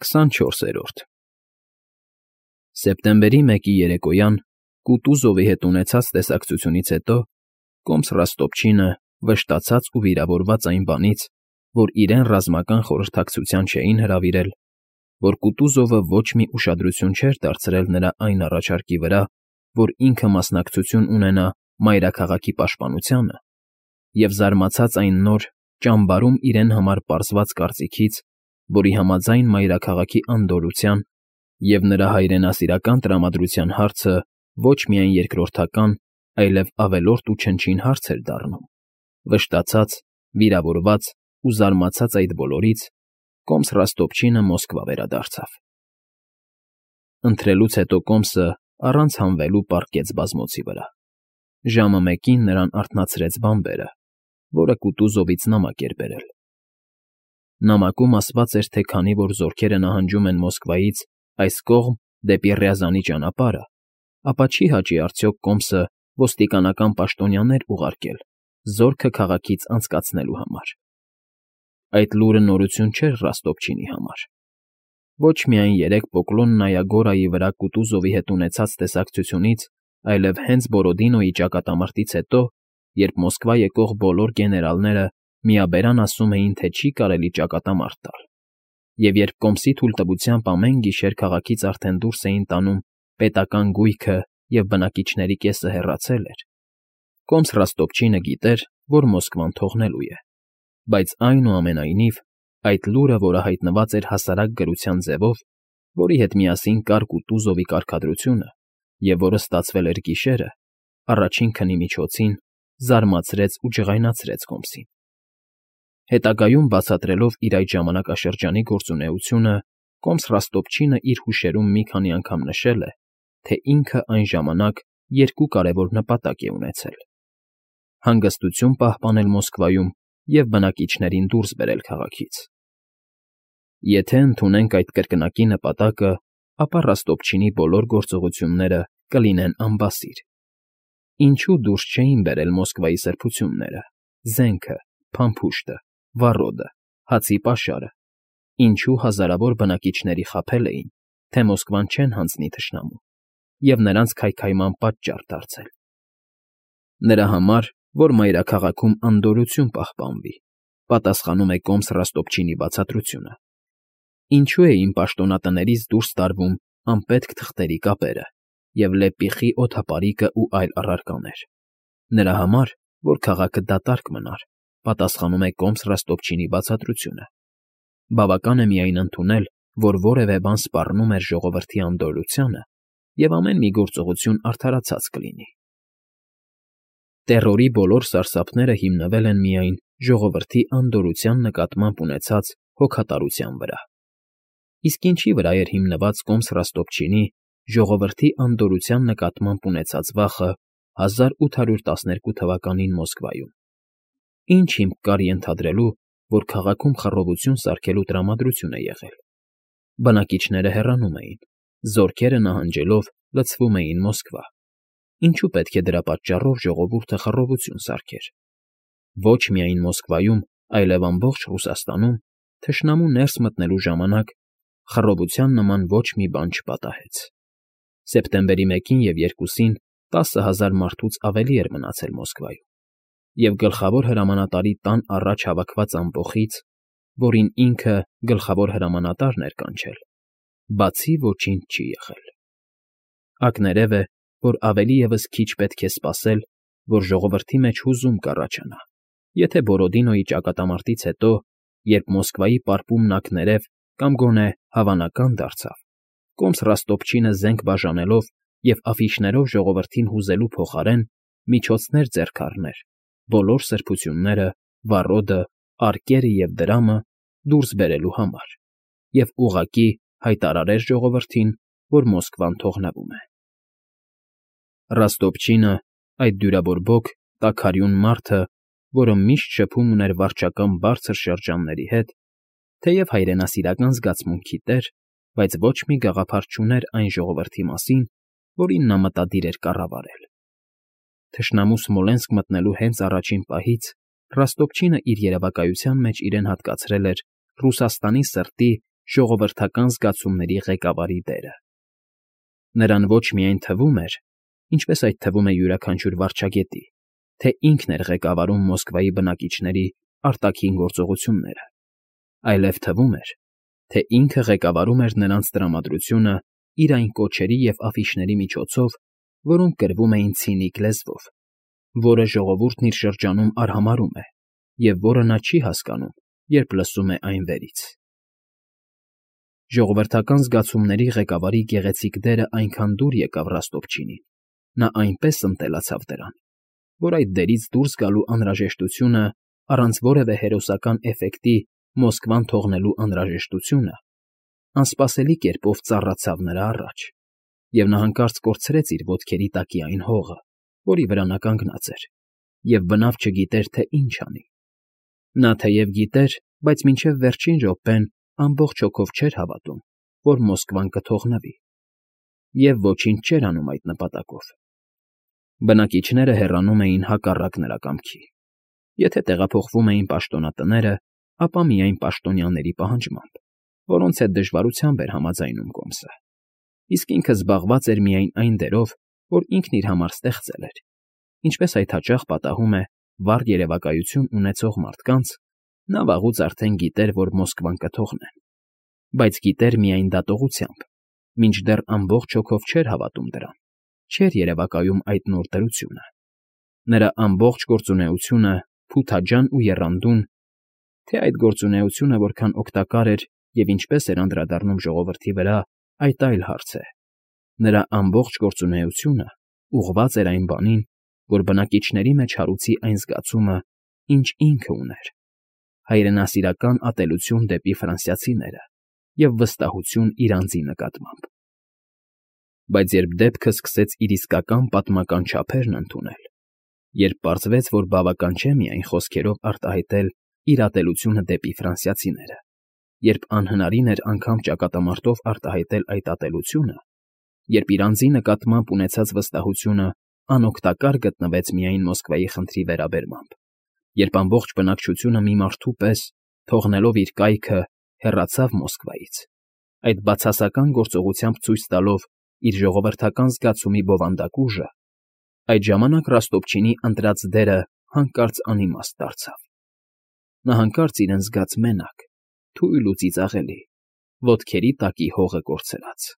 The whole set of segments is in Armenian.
24-րդ Սեպտեմբերի 1-ի երեկոյան Կուտուզովի հետ ունեցած տեսակցությունից հետո Կոմս Ռոստոպչինը վշտացած ու վիրավորված այն բանից, որ իրեն ռազմական խորհրդակցության չէին հրավիրել, որ Կուտուզովը ոչ մի ուշադրություն չէր դարձրել նրա այն առաջարկի վրա, որ ինքը մասնակցություն ունենա մայրաքաղաքի պաշտպանությանը, և զարմացած այն նոր, ճամբարում իրեն համար պարզված կարծիքից, որի համաձայն մայրաքաղաքի անդորրության և նրա հայրենասիրական տրամադրության հարցը ոչ միայն երկրորդական, այլև ավելորդ ու չնչին հարց էր դառնում, վշտացած, վիրավորված ու զարմացած այդ բոլորից, Կոմս Ռոստոպչինը Մոսկվա վերադարձավ։ Ընթրելուց հետո Կոմսը առանց հանվելու պառկեց բազմոցի վրա։ Ժամը 1-ին նրան արթնացրեց բանբերը, որը Կուտուզովից նամակ էր բերել։ Նամակում ասված էր, թե քանի որ զորքերը նահանջում են Մոսկվայից այս կողմ դեպի Ռյազանի ճանապարհը, ապա չի հաճի արդյոք Կոմսը ոստիկանական պաշտոնյաներ ուղարկել զորքը քաղաքից անցկացնելու համար։ Այդ լուրը նորություն չէր Ռոստոպչինի համար։ Ոչ միայն երեք Պոկլոննայա Գորայի վրա Կուտուզովի հետ ունեցած տեսակցությունից, այլև հենց Բորոդինոյի ճակատամարտից հետո, երբ Մոսկվա եկող բոլոր գեներալները միաբերան ասում էին, թե չի կարելի ճակատամարտ տալ, և երբ Կոմսի թույլտվությամբ ամեն գիշեր քաղաքից արդեն դուրս էին տանում պետական գույքը և բնակիչների կեսը հեռացել էր, Կոմս Ռոստոպչինը գիտեր, որ Մոսկվան թողնելու է, բայց այնուամենայնիվ այդ լուրը, որը հայտնված էր հասարակ գրության ձևով, որի հետ միասին կար Կուտուզովի կարգադրությունը և որը ստացվել էր գիշերը, առաջին քնի միջոցին զարմացրեց ու ջղայնացրեց Կոմսին։ Հետագայում բացատրելով իր այդ ժամանակաշրջանի գործունեությունը, Կոմս Ռոստոպչինը իր հուշերում մի քանի անգամ նշել է, թե ինքը այն ժամանակ երկու կարևոր նպատակ է ունեցել. հանգստություն պահպանել Մոսկվայում և բնակիչներին դուրս բերել քաղաքից։ Եթե ընդունենք այդ կրկնակի նպատակը, ապա Ռոստոպչինի բոլոր գործողությունները կլինեն անբասիր։ Ինչու դուրս չէին բերել Մոսկվայի սրբությունները, զենքը, փամփուշտը, վառոդը, հացի պաշարը, ինչու հազարավոր բնակիչների խաբել էին, թե Մոսկվան չեն հանձնի թշնամուն և նրանց քայքայման պատճառ դարձել։ Նրա համար, որ մայրաքաղաքում անդորրություն պահպանվի, պատասխանում է Կոմս Ռոստոպչինի բացատրությունը։ Ինչու էին պաշտոնատներից դուրս տարվում անպետք թղթերի կապերը և լեպիխի օդապարիկը ու այլ առարկաներ։ Նրա համար, որ քաղաքը դատարկ մնար, պատասխանում է Կոմս Ռոստոպչինի բացատրությունը։ Բավական է միայն ընդունել, որ որևէ բան սպառնում էր ժողովրդի անդորրությանը, և ամեն մի գործողություն արդարացած կլինի։ Տերորի բոլոր սարսափները հիմնվել են միայն ժողովրդի անդորրության նկատմամբ ունեցած հոգատարության վրա։ Իսկ ինչի վրա էր հիմնված Կոմս Ռոստոպչինի ժողովրդի անդորրության նկատմամբ ունեցած վախը 1812 թվականին Մոսկվայում։ Ինչ հիմք կար ենթադրելու, որ քաղաքում խռովություն սարքելու տրամադրություն է եղել։ Բնակիչները հեռանում էին, զորքերը նահանջելով լցվում էին Մոսկվա։ Ինչու պետք է դրա պատճառով ժողովուրդը խռովություն սարքեր։ Ոչ միայն Մոսկվայում, այլև ամբողջ Ռուսաստանում թշնամու ներս մտնելու ժամանակ խռովության նման ոչ մի բան չպատահեց։ Սեպտեմբերի 1-ին և 2-ին 10,000 մարդուց ավելի էր մնացել Մոսկվայում, և գլխավոր հրամանատարի տան առաջ հավաքված ամբոխից, որին ինքը գլխավոր հրամանատարն էր կանչել, բացի ոչինչ չի եղել։ Ակներև է, որ ավելի ևս քիչ պետք է սպասել, որ ժողովրդի մեջ հուզում կառաջանա, եթե Բորոդինոյի ճակատամարտից հետո, երբ Մոսկվայի պարպումն ակներև կամ գոնե հավանական դարձավ, Կոմս Ռոստոպչինը զենք բաժանելով և աֆիշներով ժողովրդին հուզելու փոխարեն միջոցներ ձեռք առներ բոլոր սրբությունները, վառոդը, արկերը և դրամը դուրս բերելու համար և ուղղակի հայտարարեր ժողովրդին, որ Մոսկվան թողնվում է։ Ռոստոպչինը, այդ դյուրաբորբոք, տաքարյուն մարդը, որը միշտ շփում ուներ վարչական բարձր շրջանների հետ, թեև հայրենասիրական զգացմունքի տեր, բայց ոչ մի գաղափար չուներ այն ժողովրդի մասին, որին նա մտադիր էր կառավարել։ Թշնամու Սմոլենսկ մտնելու հենց առաջին պահից Ռոստոպչինը իր երևակայության մեջ իրեն հատկացրել էր Ռուսաստանի սրտի ժողովրդական զգացումների ղեկավարի դերը։ Նրան ոչ միայն թվում էր, ինչպես այդ թվում է յուրաքանչյուր վարչագետի, թե ինքն էր ղեկավարում Մոսկվայի բնակիչների արտաքին գործողությունները, այլև թվում էր, թե ինքը ղեկավարում էր նրանց տրամադրությունը իր այն կոչերի և աֆիշների միջոցով, որոնք գրվում էին ցինիկ լեզվով, որը ժողովուրդն իր շրջանում արհամարհում է և որը նա չի հասկանում, երբ լսում է այն վերից։ Ժողովրդական զգացումների ղեկավարի գեղեցիկ դերը այնքան դուր եկավ Ռոստովչինին, նա այնպես ընտելացավ դրան, որ այդ դերից դուրս գալու անհրաժեշտությունը առանց որևէ հերոսական էֆեկտի Մոսկվան թողնելու անհրաժեշտությունը անսպասելի կերպով ծառացավ նրա առաջ, և նա հանկարծ կորցրեց իր ոտքերի տակի այն հողը, որի վրա նա կանգնած էր, և բնավ չգիտեր, թե ինչ անի։ Նա թեև գիտեր, բայց մինչև վերջին րոպեն ամբողջ հոգով չէր հավատում, որ Մոսկվան կթողնվի, և ոչինչ չէր անում այդ նպատակով։ Բնակիչները հեռանում էին հակառակ նրա կամքի։ Եթե տեղափոխվում էին պաշտոնատները, ապա միայն պաշտոնյաների պահանջմամբ, որոնց հետ դժվարությամբ էր համաձայնում կոմսը, իսկ ինքը զբաղված էր միայն այն դերով, որ ինքն իր համար ստեղծել էր, ինչպես այդ հաճախ պատահում է վառ երևակայություն ունեցող մարդկանց, նա վաղուց արդեն գիտեր, որ Մոսկվան կթողնեն, բայց գիտեր միայն դատողությամբ, մինչդեռ ամբողջ հոգով չէր հավատում դրան, չէր երևակայում այդ նոր դրությունը։ Նրա ամբողջ գործունեությունը, փութաջան ու եռանդուն, թե այդ գործունեությունը որքան օգտակար էր և ինչպես էր անդրադառնում ժողովրդի վրա, այդ այլ հարց է։ Նրա ամբողջ գործունեությունը ուղղված էր այն բանին, որ բնակիչների մեջ հարուցի այն զգացումը, ինչ ինքը ուներ, հայրենասիրական ատելություն դեպի ֆրանսիացիները և վստահություն իր անձի նկատմամբ։ Բայց երբ դեպքը սկսեց իր իսկական պատմական չափերն ընդունել, երբ պարզվեց, որ բավական չէ միայն խոսքերով արտահայտել իր ատելությունը դեպի ֆրանսիացիները, երբ անհնարին էր անգամ ճակատամարտով արտահայտել այդ ատելությունը, երբ իր անձի նկատմամբ ունեցած վստահությունը անօգտակար գտնվեց միայն Մոսկվայի խնդրի վերաբերմամբ, երբ ամբողջ բնակչությունը մի մարդու պես, թողնելով իր կայքը, հեռացավ Մոսկվայից, այդ բացասական գործողությամբ ցույց տալով իր ժողովրդական զգացումի բովանդակ ուժը, այդ ժամանակ Ռոստովչինի ընտրած դերը հանկարծ անիմաստ դարձավ։ Նա հանկարծ իրեն զգաց մենակ, թույլ ու ծիծաղելի, ոտքերի տակի հողը կորցրած։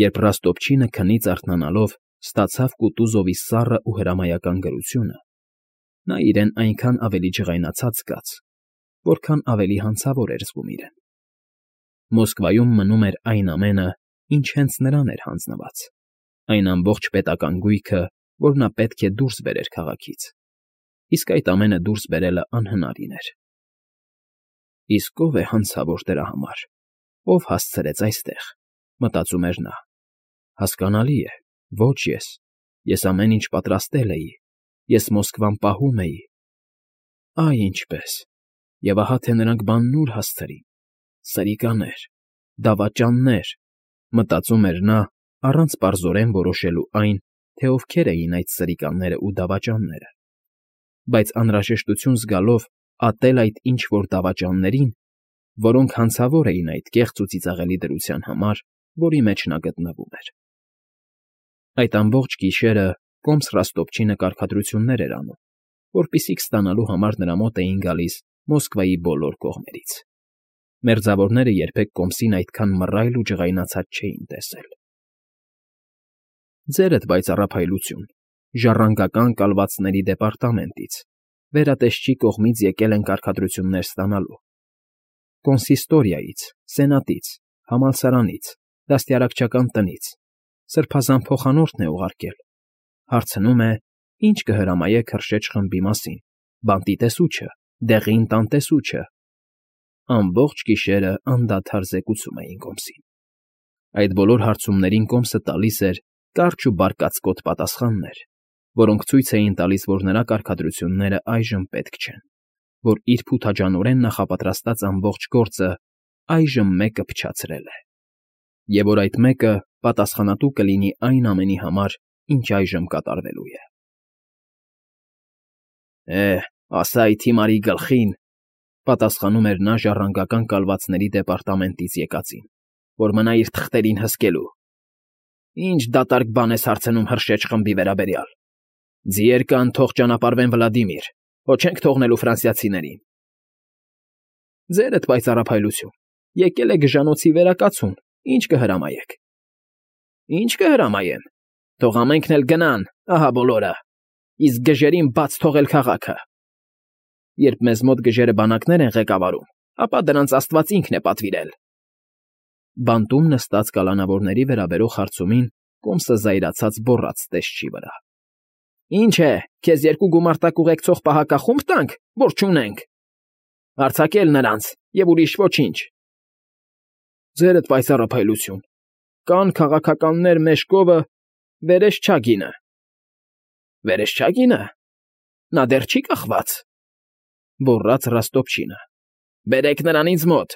Երբ Ռոստովչինը քնից արթնանալով ստացավ Կուտուզովի սառը ու հրամայական գրությունը, նա իրեն այնքան ավելի ջղայնացած զգաց, որքան ավելի հանցավոր էր զգում իրեն։ Մոսկվայում մնում էր այն ամենը, ինչ հենց նրան էր հանձնված, այն ամբողջ պետական գույքը, որ նա պետք է դուրս բերեր քաղաքից, իսկ այդ ամենը դուրս բերելը անհնարին էր։ Իսկ ո՞վ է հանցավոր դրա համար, ով հասցրեց այստեղ, մտածում էր նա։ Հասկանալի է, ոչ ես ամեն ինչ պատրաստել էի, ես Մոսկվան պահում էի։ Այ ինչպես, և ահա թե նրանք բանն ուր հասցրին, սրիկաներ, դավաճաններ, մտածում էր նա, առանց պարզորեն որոշելու այն, թե ովքեր էին այդ սրիկանները ու դավաճանները, բայց անհրաժեշտություն զգալով ատել այդ ինչ֊որ դավաճաններին, որոնք հանցավոր էին այդ կեղծ ու ծիծաղելի դրության համար, որի մեջ նա գտնվում էր։ Այդ ամբողջ գիշերը կոմս Ռոստովչինը կարգադրություններ էր անում, որպիսիք ստանալու համար նրա մոտ էին գալիս Մոսկվայի բոլոր կողմերից։ Մերձավորները երբեք կոմսին այդքան մռայլ ու ջղայնացած չէին տեսել։ Ձերդ պայծառափայլություն, ժառանգական կալվածների դեպարտամենտից, վերատեսչի կողմից եկել են կարգադրություններ ստանալու։ Կոնսիստորիայից, սենատից, համալսարանից, դաստիարակչական տնից, սրբազան փոխանորդն է ուղարկել։ Հարցնում է, ինչ կհրամայեք Հրշեջ խմբի մասին, բանտի տեսուչը, դեղին տան տեսուչը։ Ամբողջ գիշերը անդադար զեկուցում էին կոմսին։ Այդ բոլոր հարցումներին կոմսը տալիս էր կարճ ու բարկացկոտ պատասխաններ, որոնք ցույց էին տալիս, որ նրա կարգադրությունները այժմ պետք չեն, որ իր փութաջանորեն նախապատրաստած ամբողջ գործը այժմ մեկը փչացրել է, և որ այդ մեկը պատասխանատու կլինի այն ամենի համար, ինչ այժմ կատարվելու է։ Ասա այդ հիմարի գլխին, Պատասխանում էր նա ժառանգական կալվածների դեպարտամենտից եկածին, որ մնա իր թղթերին հսկելու։ Ինչ դատարկ բան ես հարցնում Հրշեջ խմբի վերաբերյալ։ Ձիեր կան, թող ճանապարհվեն Վլադիմիր, հո չենք թողնելու ֆրանսիացիներին։ Ձերդ պայծառափայլություն, եկել է գժանոցի վերակացուն, ինչ կհրամայեք։ Ինչ կհրամայեմ, թող ամենքն էլ գնան, ահա բոլորը, իսկ գժերին բաց թողել քաղաքը։ Երբ մեզ մոտ գժերը բանակներ են ղեկավարում, ապա դրանց Աստված ինքն է պատվիրել։ Բանտում նստած կալանավորների վերաբերող հարցումին կոմսը զայրացած բոռաց տեսչի վրա։ Ինչ է, քեզ երկու գումարտակ ուղեկցող պահակախումբ տանք, որ չունենք։ Արձակել նրանց և ուրիշ ոչինչ։ Ձերդ պայծառափայլություն, կան քաղաքականներ Մեժկովը, Վերեշչագինը։ Վերեշչագինը։ Նա դեռ չի կախված։ Գոռաց Ռոստոպչինը։ Բերեք նրան ինձ մոտ։